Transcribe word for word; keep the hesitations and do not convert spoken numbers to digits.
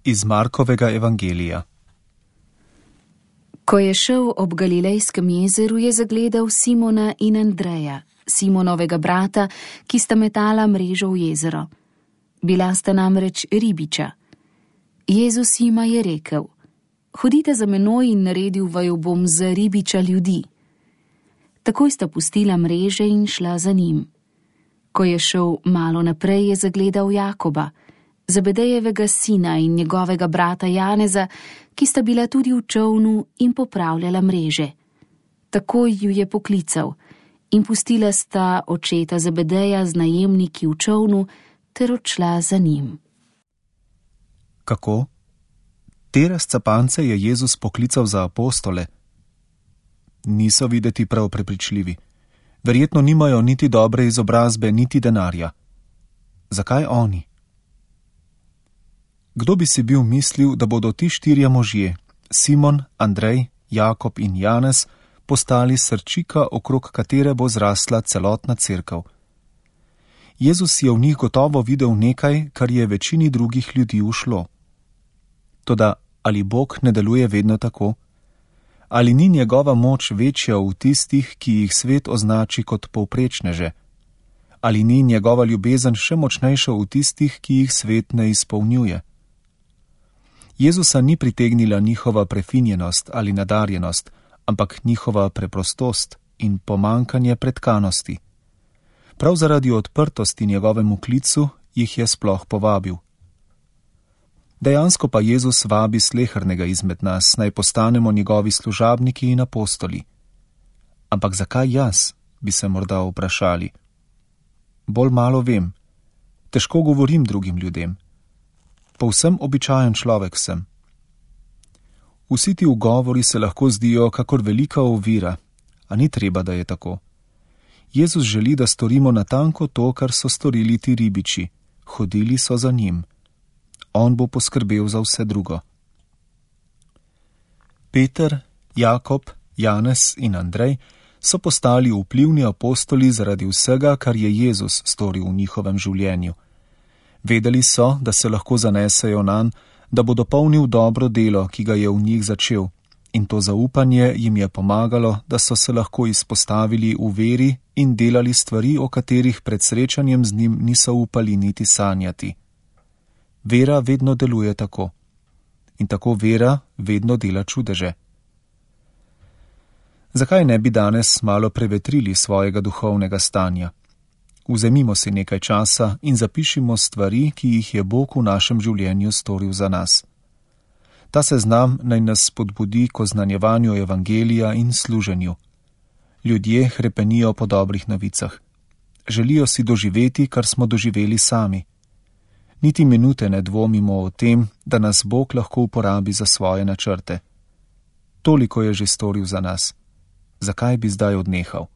Iz Markovega evangelija. Ko je šel ob Galilejskem jezeru, je zagledal Simona in Andreja, Simonovega brata, ki sta metala mrežo v jezero. Bila sta namreč ribiča. Jezus jima je rekel: Hodite za menoj in naredil vaju bom za ribiča ljudi. Takoj sta pustila mreže in šla za njim. Ko je šel malo naprej, je zagledal Jakoba, Zebedejevega sina, in njegovega brata Janeza, ki sta bila tudi v čolnu in popravljala mreže. Takoj ju je poklical in pustila sta očeta Zebedeja z najemniki v čolnu ter odšla za njim. Kako? Te razcapance je Jezus poklical za apostole. Niso videti prav prepričljivi. Verjetno nimajo niti dobre izobrazbe, niti denarja. Zakaj oni? Kdo bi si bil mislil, da bodo ti štirje možje, Simon, Andrej, Jakob in Janez, postali srčika, okrog katere bo zrasla celotna cerkev? Jezus je v njih gotovo videl nekaj, kar je večini drugih ljudi ušlo. Toda ali Bog ne deluje vedno tako? Ali ni njegova moč večja v tistih, ki jih svet označi kot povprečneže? Ali ni njegova ljubezen še močnejša v tistih, ki jih svet ne izpolnjuje? Jezusa ni pritegnila njihova prefinjenost ali nadarjenost, ampak njihova preprostost in pomankanje pretkanosti. Prav zaradi odprtosti njegovemu klicu jih je sploh povabil. Dejansko pa Jezus vabi slehernega izmed nas, naj postanemo njegovi služabniki in apostoli. Ampak zakaj jaz, bi se morda vprašali? Bolj malo vem. Težko govorim drugim ljudem. Povsem običajen človek sem. Vsi ti ugovori se lahko zdijo kakor velika ovira, a ni treba, da je tako. Jezus želi, da storimo natanko to, kar so storili ti ribiči. Hodili so za njim. On bo poskrbel za vse drugo. Peter, Jakob, Janez in Andrej so postali vplivni apostoli zaradi vsega, kar je Jezus storil v njihovem življenju. Vedeli so, da se lahko zanesejo nanj, da bo dopolnil dobro delo, ki ga je v njih začel, in to zaupanje jim je pomagalo, da so se lahko izpostavili v veri in delali stvari, o katerih pred srečanjem z njim niso upali niti sanjati. Vera vedno deluje tako. In tako vera vedno dela čudeže. Zakaj ne bi danes malo prevetrili svojega duhovnega stanja? Vzemimo si nekaj časa in zapišimo stvari, ki jih je Bog v našem življenju storil za nas. Ta seznam naj nas spodbudi k oznanjevanju evangelija in služenju. Ljudje hrepenijo po dobrih novicah. Želijo si doživeti, kar smo doživeli sami. Niti minute ne dvomimo o tem, da nas Bog lahko uporabi za svoje načrte. Toliko je že storil za nas. Zakaj bi zdaj odnehal?